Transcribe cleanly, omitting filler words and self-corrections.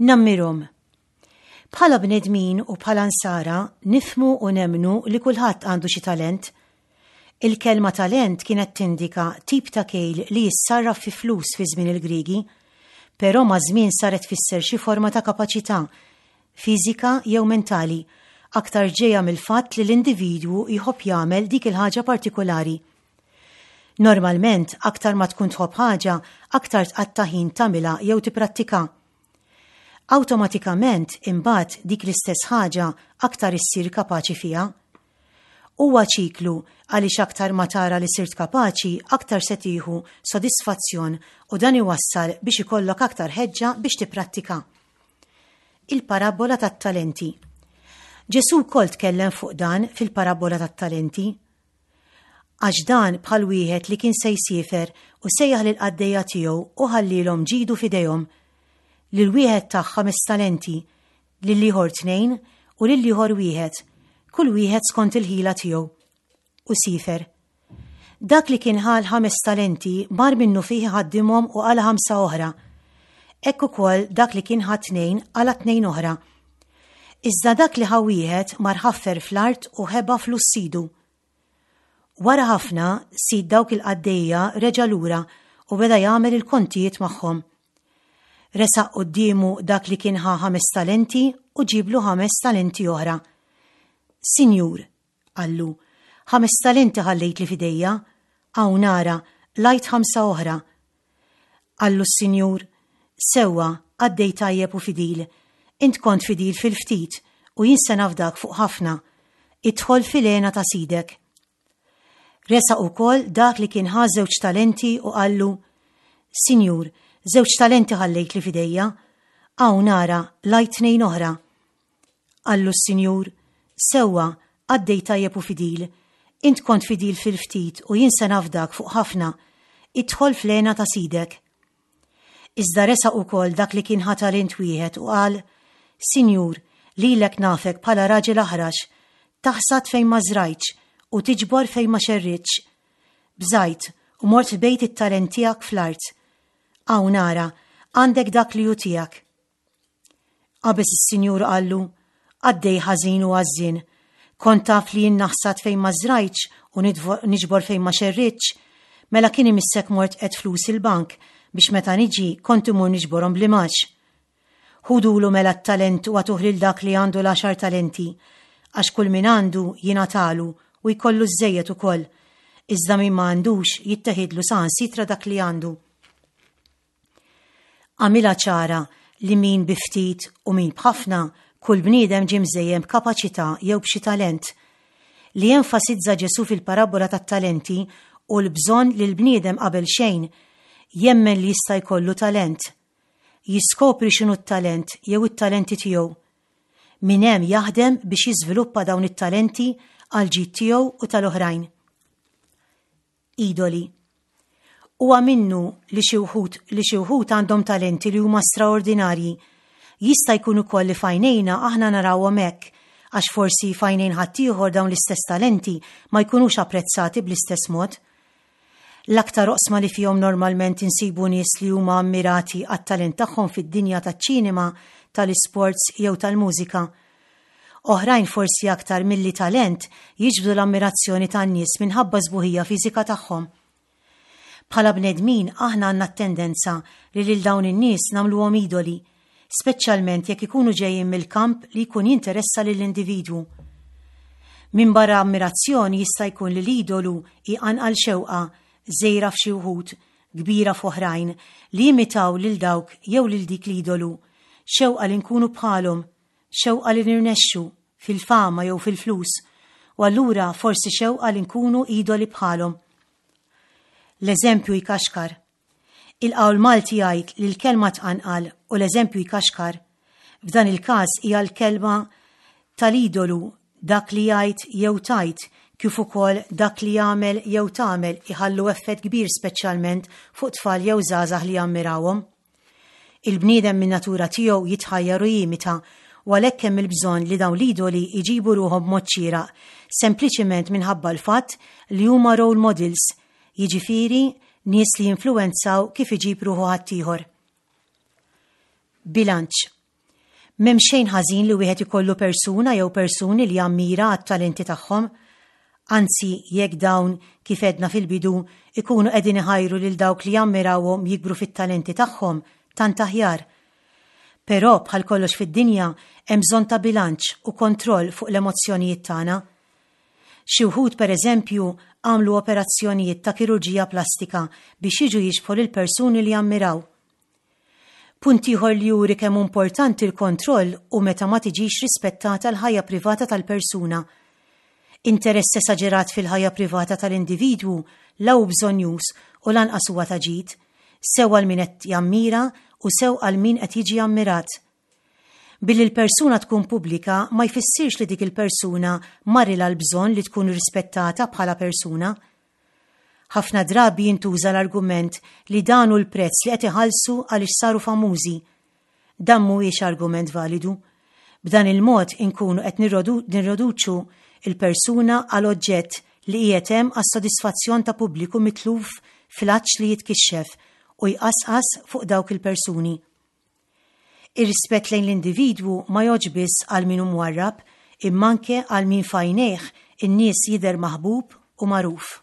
Nammirhom. Bħala bnedmin u bħala nsara nifhmu u nemmnu li kulħadd għandu xi talent. Il-kelma talent kienet tindika tip ta' kejl li jissarraf fi flus fi żmien il-Griegi, però maż-żmien saret tfisser xi forma ta' kapaċità, fiżika jew mentali, aktar ġejja mill-fatt li l-individwu jħobb jagħmel dik il-ħaġa partikulari. Normalment, aktar ma tkun tħobb ħaġa, aktar tqatta' ħin tagħmilha jew tipprattikha. Awtomatikament, imbagħad dik l-istess ħaġa aktar issir kapaċi fiha. Huwa ċiklu għaliex aktar ma tara li sirt kapaċi, aktar se tieħu sodisfazzjon u dan iwassal biex ikollok aktar ħeġġa biex tipprattika. Il-parabbola tat-talenti. Ġesù wkoll tkellem fuq dan fil-parabbola tat-talenti. Għax dan bħal wieħed li kien se jsiefer u sejjaħ lill-qaddejja tiegħu u ħallielhom ġidu f'idejhom. Lil wieħed tah ħames talenti, lill-ieħor tnejn u lill-ieħor wieħed, kull wieħed skont il-ħila tiegħu. U siefer. Dak li kien ħa l-ħames talenti mar minnufih iħaddimhom u qala' ħamsa oħra. Hekk ukoll dak li kien ħa tnejn qala' tnejn oħra. Iżda dak li ħa wieħed mar ħaffer fl-art u ħeba flus sidu. Wara ħafna, sid dawk il-qaddejja reġa' lura u beda jagħmel il-kontijiet magħhom. Resaq quddiemu dak li kien ħa ħames talenti u ġieblu ħames talenti oħra. Sinjur, qallu, ħames talenti ħallejtli f'idejja, hawn ara, qlajt ħamsa oħra. Qallu s-Sinjur, Sewwa, qaddej tajjeb u fidil, int kont fidil fil-ftit, u jien se nafdak fuq ħafna. Idħol fil-hena ta' sidek. Resaq ukoll dak li kien ħa żewġ talenti u qallu, Sinjur, żewġ talenti ħallejtli f'idejja, hawn ara, qlajt tnejn oħra. Qallu s-Sinjur, Sewwa, qaddej tajjeb u fidil, int kont fidil fil-ftit u jien se nafdak fuq ħafna, idħol fl-hena ta' sidek. Iżda resaq ukoll dak li kien ħa talent wieħed u qal, Sinjur, lilek nafek bħala raġel aħrax, taħsad fejn ma żrajtx u tiġbor fejn ma xerridtx. Bżajt u mort ħbejt it-talent tiegħek fl-art. Hawn ara, għandek dak li hu tiegħek. Qabeż is-Sinjur u qallu, Qaddej ħażin u għażżien, kont taf li jien naħsad fejn ma żrajtx u niġbor fejn ma xerridtx? Mela kien imissek mort qegħedt flusi l-bank biex meta niġi kont immur niġborhom bl-imgħax. Ħudulu mela t-talent u agħtuh lil dak li għandu l-għaxar talenti, għax kull min għandu jingħatalu u jkollu żżejjed ukoll, iżda min ma għandux jitteħidlu saħansitra dak li għandu. Għamilha ċara li min bi ftit u min b'ħafna, kull bniedem ġie mżejjen b'kapaċità jew b'xi talent. Li jenfasizza Ġesù fil-parabbola tat-talenti hu l-bżonn li l-bniedem qabel xejn jemmen li jista' jkollu talent. Jiskopri x'inhu t-talent jew it-talenti tiegħu. Minn hemm jaħdem biex jiżviluppa dawn it-talenti għall-ġid tiegħu u tal-oħrajn. Idoli. Huwa minnu li xi wħud li xi wħud għandhom talenti li huma straordinarji. Jista' jkun ukoll li f'għajnejna aħna narawhom hekk, għax forsi f'għajnejn ħaddieħor dawn l-istess talenti ma jkunux apprezzati bl-istess mod. L-aktar oqsma li fihom normalment insibu nies li huma ammirati għat-talent tagħhom fid-dinja taċ-ċinema, tal-isports jew tal-mużika. Oħrajn forsi aktar milli talent jiġbdu l-ammirazzjoni tan-nies minħabba s-sbuħija fiżika tagħhom. Bħala bnedmin aħna għandna t-tendenza li lil dawn in-nies nagħmluhom idoli, speċjalment jekk ikunu ġejjin mill-kamp li jkun jinteressa lill-individwu. Minbarra ammirazzjoni jista' jkun li l-idolu jqanqal xewqa, żgħira f'xi wħud, kbira f'oħrajn, li jimitaw lil dawk jew lil dik l-idolu, xewqa li nkunu bħalhom, xewqa li nirnexxu, fil-fama jew fil-flus, u allura forsi xewqa li nkunu idoli bħalhom. L-eżempju jkaxkar. Il-qawl Malti jgħid li l-kelma tqanqal u l-eżempju jkaxkar. F'dan il-każ hija l-kelma tal-idolu dak li jgħid jew tgħid kif ukoll dak li jagħmel jew tagħmel iħallu effett kbir speċjalment fuq tfal jew żgħażagħ li jammirawhom. Il-bniedem min-natura tiegħu jitħajjar u jimita, u għalhekk hemm il-bżonn li dawn l-idoli jġibu ruħhom b'mod xieraq, sempliċiment minħabba l-fatt li huma role models, jiġifieri nies li jinfluwenzaw kif iġib ruħu ħaddieħor. Bilanċ. M'hemm xejn ħażin li wieħed ikollu persuna jew persuni li jammira għat-talenti tagħhom. Anzi, jekk dawn, kif għedna fil-bidu, ikunu qegħdin iħajru lil dawk li jammirawhom jikbru fit-talenti tagħhom, tant aħjar. Però, bħal kollox fid-dinja, hemm bżonn ta' bilanċ u kontroll fuq l-emozzjonijiet tagħna. Xi wħud, pereżempju, għamlu operazzjonijiet ta' kirurġija plastika biex jiġu jixbħu lill-persuni li jammiraw. Punt ieħor li juri kemm hu importanti l-kontroll hu meta ma tiġix rispettata l-ħajja privata tal-persuna. Interess esaġerat fil-ħajja privata tal-individwu la hu bżonnjuż u lanqas huwa ta' ġid, sew għal min qed jammira u sew għal min qed jiġi ammirat. Billi l-persuna tkun pubblika ma jfissirx li dik il-persuna marrilha l-bżonn li tkun rispettata bħala persuna. Ħafna drabi jintuża l-argument li dan hu l-prezz li qed iħallsu għaliex saru famużi. Dan mhuwiex argument validu. B'dan il-mod inkunu qed nirroduċu l-persuna għal oġġett li qiegħed hemm għas-sodisfazzjon ta' pubbliku mitluf fl-għatx li jitkixxef u jqasqas fuq dawk il-persuni. Ir-rispett lejn l-individwu ma jgħoddx biss għal min hu mwarrab imma anke għal min f'għajnejh in-nies jidher maħbub u magħruf.